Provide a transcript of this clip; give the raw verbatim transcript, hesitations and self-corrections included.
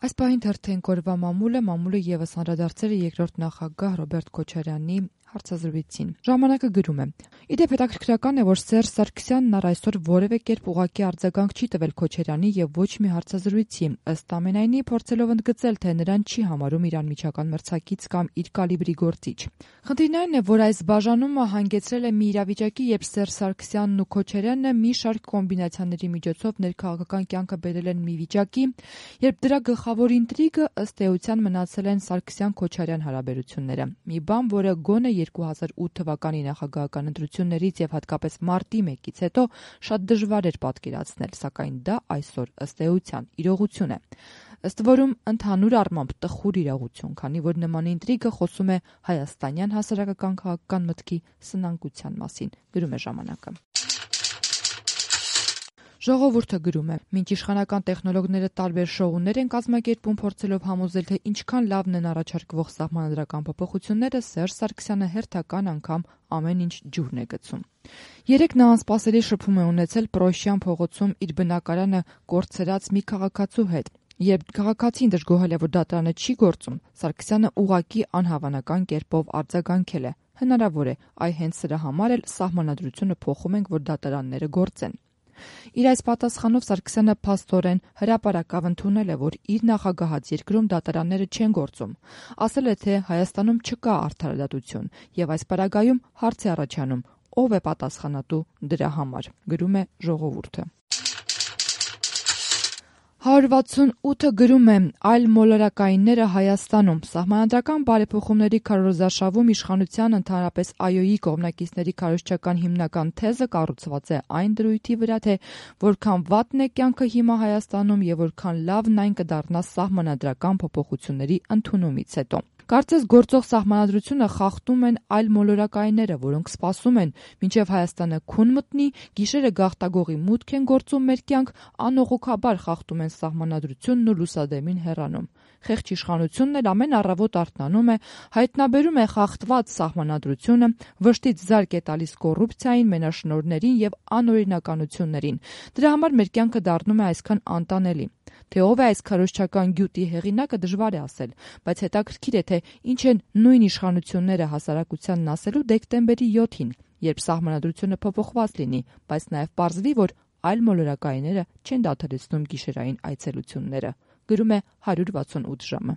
Այս պահին թերթենք օրվա մամուլը, մամուլը ևս անդրադարձել է երկրորդ նախագահ Ռոբերտ Քոչարյանի հարցազրույցին։ Ժամանակը գրում է. Իդեպ հետաքրքրական է, որ Սերժ Սարգսյանն առ այսօր որևէ կերպ ուղղակի արձագանք չի տվել Քոչարյանի եւ ոչ մի հարցազրույցի, ըստ ամենայնի փորձելով ընդգծել, թե նրան չի համարում իր անմիջական մրցակից կամ իր կալիբրի գործիչ։ Խնդիրն այն է, որ այս բաժանումը հանգեցրել է մի իրավիճակի, երբ Սերժ Սարգսյանն ու Քոչարյանը մի շարք կոմբինացիաների միջոցով ներքաղաքական կյանքը բերել են մի վիճակի, երբ դրա գլխավոր ինտրիգը ըստ էության մնացել են Սարգսյան-Քոչարյան հարաբերությունները։ Մի բան, որը գոնե երկու հազար ութ թվականի նախագահական ընտրություններից եւ հատկապես մարտի մեկից հետո շատ դժվար էր պատկերացնել, սակայն դա այսօր ըստ էության իրողություն է։ Ըստ որում ընդհանուր առմամբ տխուր իրողություն, քանի որ նման ինտրիգը խոսում է հայաստանյան հասարակական քաղաքական մտքի սնանկության մասին, գրում է ժամանակը։ Ժողովուրդը գրում է. մինչ իշխանական տեխնոլոգները տարբեր շոուներ են կազմակերպում, փորձելով համոզել, թե ինչքան լավն են առաջարկվող սահմանադրական փոփոխությունները, Սերժ Սարգսյանը հերթական անգամ ամեն ինչ ջուրն է գցում։ Երեկ նա անսպասելի շփում է ունեցել Պրոշյան փողոցում իր բնակարանը կորցրած մի քաղաքացու հետ։ Երբ քաղաքացին դժգոհել է, որ դատարանը չի գործում, Սարգսյանը ուղղակի անհավանական կերպով արձագանքել է. հնարավոր է, այ հենց սրա համար էլ սահմանադրությունը փոխում ենք, որ դատարանները գործեն։ Իր այս պատասխանով Սարգսյանը փաստորեն հրապարակավ ընդունել է, որ իր նախագահած երկրում դատարանները չեն գործում։ Ասել է, թե Հայաստանում չկա արդարադատություն եւ այս պարագայում հարց է առաջանում, ով է պատասխանատու դրա համար, գրում է Ժողովուրդը։ հարյուր վաթսունութը գրում է. այլ մոլորակայինները Հայաստանում սահմանադրական բարեփոխումների քարոզարշավում իշխանության, ընդհանրապես ԱՅՈ-ի կողմնակիցների քարոզչական հիմնական թեզը կառուցված է այն դրույթի վրա, թե որքան վատն է կյանքը հիմա Հայաստանում եւ որքան լավն այն կդառնա սահմանադրական փոփոխությունների ընդունումից հետո։ Կարծես գործող սահմանադրությունը խախտում են այլ մոլորակայինները, որոնք սպասում են, մինչև Հայաստանը քուն մտնի, գիշերը գաղտագողի մուտք են գործում մեր կյանք, անողոքաբար խախտում են սահմանադրությունն ու լուսադեմին հեռանում։ Խեղճ իշխանությունն էլ ամեն առավոտ արթնանում է, հայտնաբերում է խախտված սահմանադրությունը, վշտից զարկ է տալիս կոռուպցիային, մենաշնորհներին եւ անօրինականություններին։ Դրա համար մեր կյանքը դառնում է այսքան անտանելի։ Թե ով է այս քարոզչական գյուտի հեղինակը դժվար է ասել, բայց հետաքրքիր է, թե ինչ են նույն իշխանությունները հասարակությանն ասելու դեկտեմբերի յոթին, երբ սահմանադրությունը փոփոխված լինի, բայց նաև պարզվի, որ այլ մոլորակայինները չեն դադարեցնում գիշերային այցելությունները, գրում է հարյուր վաթսունութ ժամը։